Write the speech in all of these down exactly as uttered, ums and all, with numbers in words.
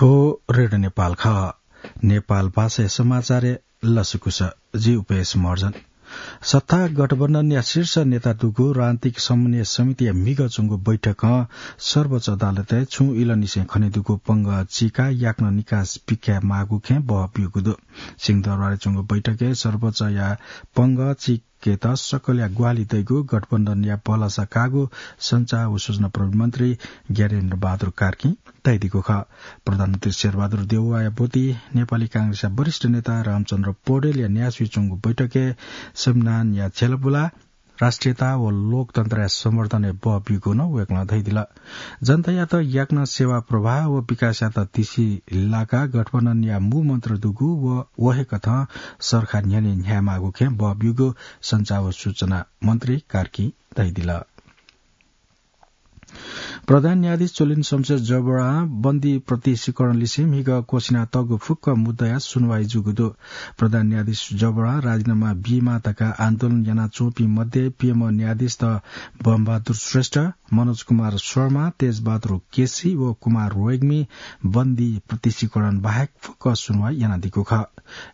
को रेडियो नेपाल खः। नेपाल भाषाया समाचारय् लसकुस। जि उपेश महर्जन। सत्ता गठबन्धनया शीर्ष नेता दुगु राजनीतिक समन्वय समितिया म्हिगः च्वंगु बैठकं सर्वोच्च अदालतय् छुं इलंनिसें खनेदुगु पंगः चीकाः याकनं निकास बिक्याये माःगु खँय् बहः ब्यूगु दु। सिंहदरबारय् च्वंगु बैठकय् सर्वोच्चया पंगः चीकेत सकलया ग्वाहालि दइगु गठबन्धनया भलसा काःगु सञ्चार व सूचना प्रविधि मन्त्री ज्ञानेन्द्र बहादुर कार्कीं धयादीगु खः। प्रधानमन्त्री शेरबहादुर देउवाया ब्वति नेपाली कांग्रेसया वरिष्ठ नेता रामचन्द्र पौडेलया न्यासय् च्वंगु बैठकय् संविधानया झ्यालपुला, राष्ट्रियता व लोकतन्त्रया संवर्धनय् बहः ब्यूगु नं वय्कलं धयादिल। जनतायात याकनं सेवा प्रवाह व विकासयात तिसि लाकाः गठबन्धनया मू मन्त्र दुगु व व हे कथं सरकार न्ह्यःने न्ह्यायेमाःगु खँय् बहः ब्यूगु सञ्चार व सूचना मन्त्री कार्कीं धयादिल। प्रधान न्यायाधीश चोलेन्द्र शमशेर जबरां बन्दी प्रत्यक्षीकरण लिसे म्हिगः क्वसिनातःगु फुक्क मुद्दाया सुनुवाइ जूगु दु। प्रधान न्यायाधीश जबरां राजीनामा बीमाः धकाः आन्दोलन यानाच्वंपिं मध्ये पीएम न्यायाधीश बमबहादुर श्रेष्ठ, मनोज कुमार शर्मा, तेजबहादुर केसी व कुमार रेग्मी बन्दी प्रत्यक्षीकरण बाहेक फुक्क सुनुवाइ यानादीगु खः।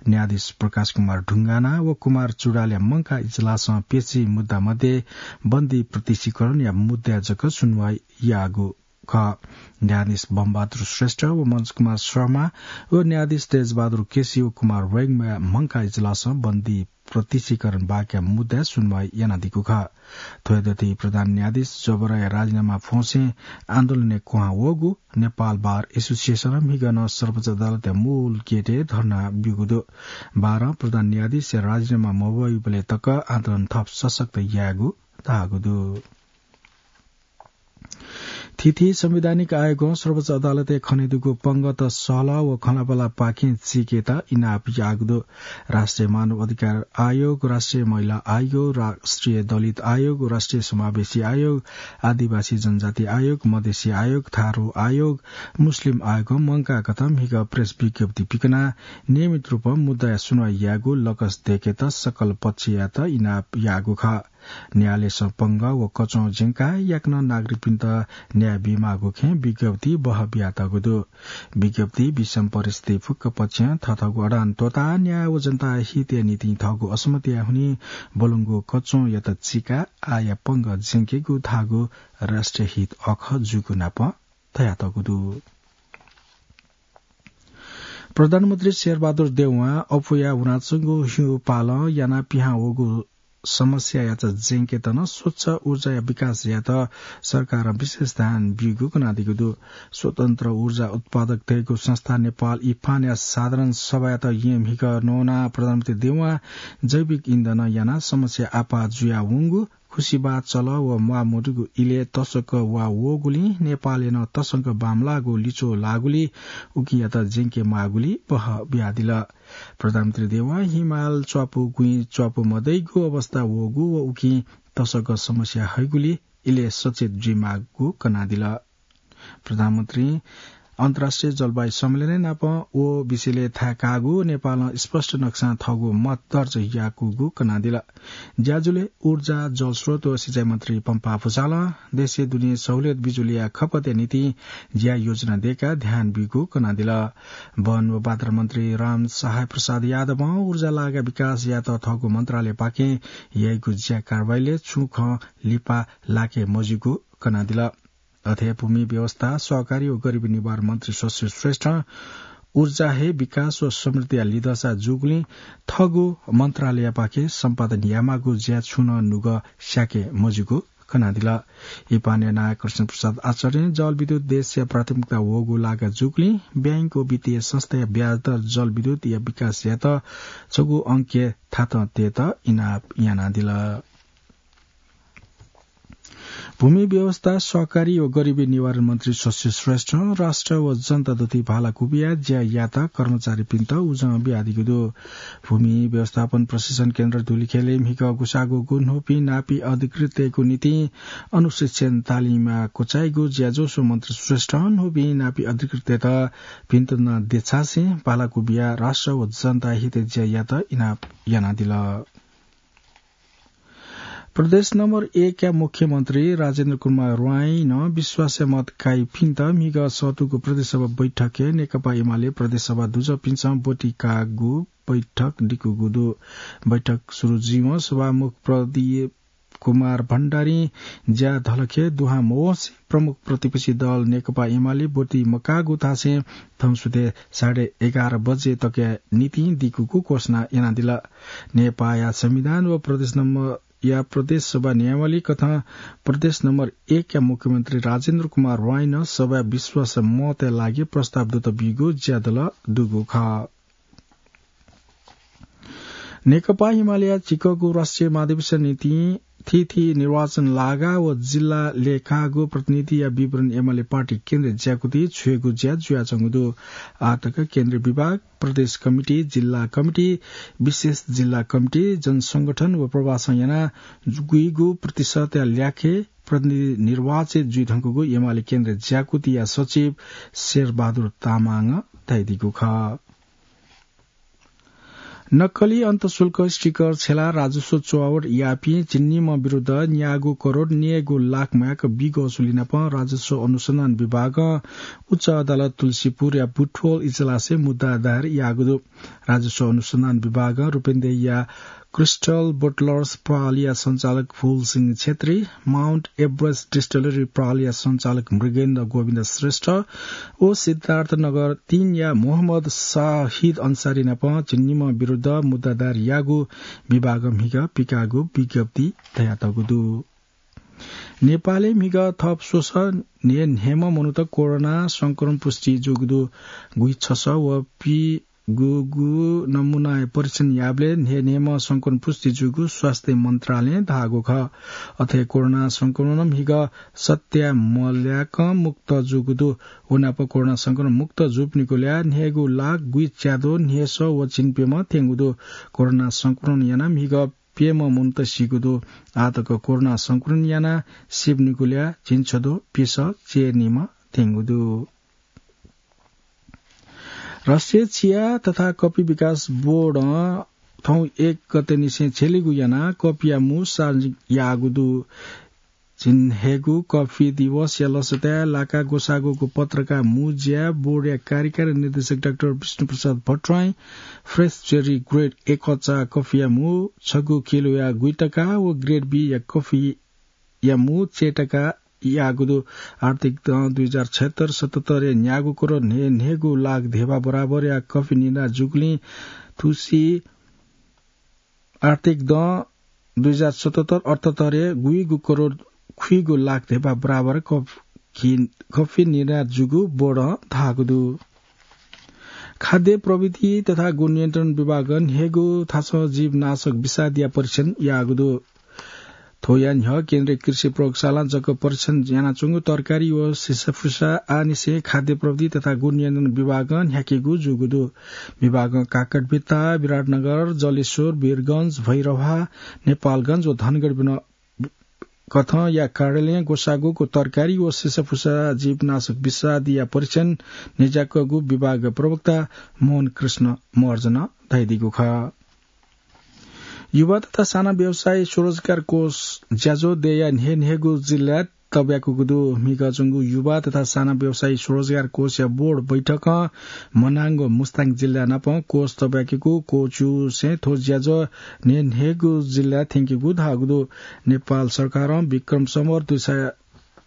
न्यायाधीश प्रकाश कुमार ढुङ्गाना व कुमार चुडालया मंकाः इजलासं पेशी मुद्दा मध्ये बन्दी प्रत्यक्षीकरणया मुद्दा जक सुनुवाइ याःगु खः। न्यायाधीश बमबहादुर श्रेष्ठ व मनोज कुमार शर्मा व न्यायाधीश तेजबहादुर केसी व कुमार रेग्मीया मंकाः इजलासं बन्दी प्रत्यक्षीकरण बाहेकया मुद्दा सुनुवाइ यानादीगु खः। थ्वयादथि प्रधान न्यायाधीश जबराया राजीनामा फ्वंसें आन्दोलनय् क्वहां वःगु नेपाल बार एसोसिएसनं म्हिगः नं सर्वोच्च अदालतया मूल गेटय् धर्ना ब्यूगु दु। बारं प्रधान न्यायाधीशया राजीनामा मवइबलय् तक आन्दोलन थप सशक्त यायेगु धाःगु दु। थीथी संवैधानिक आयोगं सर्वोच्च अदालतय् खनेदुगु पंगःत सहलह व खँल्हाबल्हापाखें चीकेत इनाप याःगु दु। राष्ट्रिय मानव अधिकार आयोग, राष्ट्रिय महिला आयोग, राष्ट्रिय दलित आयोग, राष्ट्रिय समावेशी आयोग, आदिवासी जनजाति आयोग, मधेसी आयोग, थारु आयोग, मुस्लिम आयोगं मंकाःगु खँय् म्हिगः प्रेस विज्ञप्ति पिकनाः नियमित रूपं मुद्दाया सुनुवाइ यायेगु लकस दय्केत सकल पक्षयात इनाप याःगु खः। न्यायालयसं पंगः व कचं ज्यंकाः याकनं नागरिकपिन्त न्याय बीमाःगु खँय् विज्ञप्ति बहः बियातःगु दु। विज्ञप्ति विषम परिस्थिति फुक्क पक्षं थःथःगु अडान त्वःताः न्याय व जनता हितया निंतिं थःगु असम्मतिया हुनिं ब्वलंगु कचंयात चीकाः आःया पंगः ज्यंकेगु धाःगु राष्ट्रिय हित अखः जूगु नापं धयातःगु दु। प्रधानमन्त्री शेरबहादुर देउवां अप्वया वनाच्वंगु हिउँपालं यानाः पिहां वःगु समस्यायात ज्यंकेत नं स्वच्छ ऊर्जाया विकास यायेत सरकारं विशेष ध्यान बीगु कनादीगु दु। स्वतन्त्र ऊर्जा उत्पादकतय्गु संस्था नेपाल इफानया साधारण सभायात येँ म्हिगः नवानाः प्रधानमन्त्री देउवां जैविक इन्धन यानाः समस्या आपाः जुयावंगु खुसिबाः चल व म्वाःमदुगु इलय् तसकं वा वःगुलिं नेपालय् नं तसकं बांमलाःगु लिच्वः लाःगुलिं उकियात ज्यंके माःगुलिं बहः बियादिल। प्रधानमन्त्री देउवां हिमाल च्वापु गुँइ च्वापु मदइगु अवस्था वःगु व उकिं तसकं समस्या हइगुलिं इलय् सचेत जुइमाःगु कनादिल। प्रधानमन्त्रीं अन्तर्राष्ट्रिय जलवायु सम्मेलनय् नापं व विषयलय् थाय् काःगु नेपालं स्पष्ट नक्सां थःगु मत दर्ज याकूगु कनादिल। ज्याझ्वलय् ऊर्जा, जलस्रोत व सिँचाइ मन्त्री पम्पा भुसालं देशय् दुने सहुलियत बिजुलीया खपतया निंतिं ज्या योजना दय्काः ध्यान बीगु कनादिल। वन व वातावरण मन्त्री राम सहाय प्रसाद यादवं ऊर्जा लागाय् विकास यायेत थःगु मन्त्रालयपाखें याइगु ज्या कारवाहीलय् छुं खँ लिपा लाके मज्यूगु कनादिल। अथे भूमि व्यवस्था, सहकारी व गरिबी निवारण मन्त्री शशि श्रेष्ठं ऊर्जा हे विकास व समृद्धिया लिधंसा जूगुलिं थःगु मन्त्रालयपाखें सम्पादन यायेमाःगु ज्या छुं नं नुगः स्याके मज्यूगु कनादिल। इफानया नायः कृष्ण प्रसाद आचार्यं जलविद्युत देशया प्राथमिकता वःगु लागा जूगुलिं बैंक व वित्तीय संस्थाया ब्याजदर जलविद्युतया विकास यायेत छगू अंकय् थातं तयेत इनाप यानादिल। भूमि व्यवस्था, सहकारी व गरिबी निवारण मन्त्री शशि श्रेष्ठं राष्ट्र व जनता दथुइ भाला कुबिया ज्या याःपिं कर्मचारीपिन्त उजं बियादीगु दु। भूमि व्यवस्थापन प्रशिक्षण केन्द्र धुलिखेलय् म्हिगः गुसाःगु गुन्हूपिं नापी अधिकृतय्गु निंतिं अनुशिक्षण तालिमय् क्वचाइगु ज्याझ्वः स्वयाः मन्त्री श्रेष्ठं न्हूपिं नापी अधिकृतय्त भिंतुना देछासें भाला कुबिया राष्ट्र व जनता हितय् ज्या यायेत इनाप यानादिल। प्रदेश नम्बर एक या मुख्यमन्त्री राजेन्द्र कुमार राईं विश्वासया मत काइपिन्त म्हिगः सःतूगु प्रदेश सभा बैठकय् नेकपा एमाले प्रदेश सभा दुजःपिन्सं ब्वति काःगु बैठक दिकूगु दु। बैठक सुरु जुइवं सभामुख प्रदीप कुमार भण्डारीं ज्या धलखे दुहां मवंसे प्रमुख प्रतिपक्षी दल नेकपा एमाले ब्वति मकाःगु धासें थौंसुथय् साढे एघार बजे तकया निंतिं दिकूगु घोषणा यानादिल। नेपाःया संविधान व प्रदेश नम्बर या प्रदेश सभा नियमावली कथं प्रदेश नम्बर एक या मुख्यमन्त्री राजेन्द्र कुमार राईं सभाय् विश्वास मतया लागि प्रस्ताव दुत बीगु ज्यादल दुगु खः। नेकपा एमालेया झिक्वःगु राष्ट्रिय महाधिवेशन निंतिं थीथी निर्वाचन लागा व जिल्ला लेखागु प्रतिनिधिया विवरण एमाले पार्टी केन्द्रीय ज्याकुति छ्वयेगु ज्या जुयाच्वंगु दु। आःतक केन्द्रीय विभाग, प्रदेश कमिटी, जिल्ला कमिटी, विशेष जिल्ला कमिटी, जनसंगठन व प्रवासं याना गुइगु प्रतिशतया ल्याखे प्रतिनिधि निर्वाचित जुइधुंकूगु एमाले केन्द्रीय ज्याकुतिया सचिव शेरबहादुर तामाङं धयादीगु खः। नक्कली अन्तशुल्क स्टिकर छ्यलाः राजस्व चुहावट याःपिं झिंनिम्ह विरुद्ध न्यागू करोड न्यय्गू लाख म्वायेक बिग असुली नाप राजस्व अनुसन्धान विभागं उच्च अदालत तुलसीपुरया बुटवल इजलासय् मुद्दा दायर याःगु दु। राजस्व अनुसन्धान विभागं रूपेन्देहीया क्रिस्टल बोटलर्स पहलया सञ्चालक फूलसिंह छेत्री, माउन्ट एभरेस्ट डिस्टिलरी पहलया सञ्चालक मृगेन्द्र गोविन्द श्रेष्ठ व सिद्धार्थनगर तीनया मोहम्मद शाहिद अन्सारी नाप झिंनिम्ह विरुद्ध मुद्दा दायर याःगु विभागं म्हिगः पिकाःगु विज्ञप्ति धयातःगु दु। नेपालय् म्हिगः थप स्वसः न्हय्न्हय्म्ह मनूत कोरोना संक्रमण पुष्टि जूगु दु। गुइछसः व पीगूगु नमूनाया परीक्षण याःबलय् न्हय्न्हय्म्ह संक्रमण पुष्टि जूगु स्वास्थ्य मन्त्रालयं धाःगु खः। अथे कोरोना संक्रमणं म्हिगः सत्या मल्याकं मुक्त जूगु दु। व नाप कोरोना संक्रमण मुक्त जूपिनिगु ल्याः न्हय्गू लाख गुइच्याद्वः न्हय्सः व झिंप्यम्ह थ्यंगु दु। कोरोना संक्रमण यानाः म्हिगः प्यम्ह मनूत सीगु दु। आःतक कोरोना संक्रमण यानाः सीपिनिगु ल्याः झिंछद्वः प्यसः चय्निम्ह थ्यंगु दु। राष्ट्रिय चिया तथा कफी विकास बोर्डं थौं एक गतेनिसें झ्यलीगु यानाः कफीया मू सार्वजनिक याःगु दु। झिंन्हय्गू कफी दिवसया लसताय् लाका ग्वसाःगुगु पत्रका मू ज्या बोर्डया कार्यकारी निर्देशक डाक्टर विष्णुप्रसाद भट्टराईं फ्रेस जेरी ग्रेड A कचा कफीया मू छगू किलोया गुइटका व ग्रेड B या कफीया मू चय्टका याःगु दु। आर्थिक दँ दुई हजार छयत्तर सतहत्तरय् न्यागू करोड न्हय्न्हय्गू लाख धेबा बराबरया कफी निर्यात जूगुलिं थुसी आर्थिक दँ दुई हजार सतहत्तर अठहत्तरय् गुइगू करोड खुइगू लाख धेबा बराबर कफी, कफी निर्यात जूगु बोर्डं धाःगु दु। खाद्य प्रविधि तथा गुणनियन्त्रण विभागं न्हय्गू थासं जीवनाशक विषादीया परीक्षण याःगु दु। थ्वया न्ह्यः केन्द्रीय कृषि प्रयोगशालां जक परीक्षण यानाच्वंगु तरकारी व सिसाफुसा आःनिसें खाद्य प्रविधि तथा गुणनियन्त्रण विभागं न्ह्याकेगु जूगु दु। विभागं काकटभिट्टा, विराटनगर, जलेश्वर, वीरगंज, भैरहवा, नेपालगंज व धनगढी वन कथंया कार्यालयं ग्वसाःगुगु तरकारी व सिसाफुसा जीवनाशक विषादीया परीक्षण न्ह्याकागु विभाग प्रवक्ता मोहन कृष्ण महर्जनं धयादीगु खः। युवा तथा साना व्यवसायी स्वरोजगार कोष ज्याझ्वः दयेया न्हय्न्हय्गू जिल्लाय् तब्याकूगु दु। म्हिगः च्वंगु युवा तथा साना व्यवसायी स्वरोजगार कोषया बोर्ड बैठकं मनाङ व मुस्ताङ जिल्ला नाप कोष तब्याकेगु क्वःछिउसें थ्व ज्याझ्वः न्हय्न्हय्गू जिल्लाय् थ्यंकेगु धाःगु दु। नेपाल सरकारं विक्रम सम्वत दुई सय,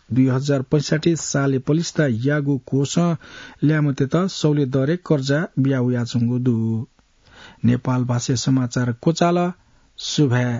दुई हजार पैंसठ्ठी सालय् पलिस्था याःगु कोषं ल्याय्म्हतय्त सहुलियत दरय् कर्जा बियावयाच्वंगु दु। नेपाल भाषाय् समाचार क्वचाल। सुभाय्।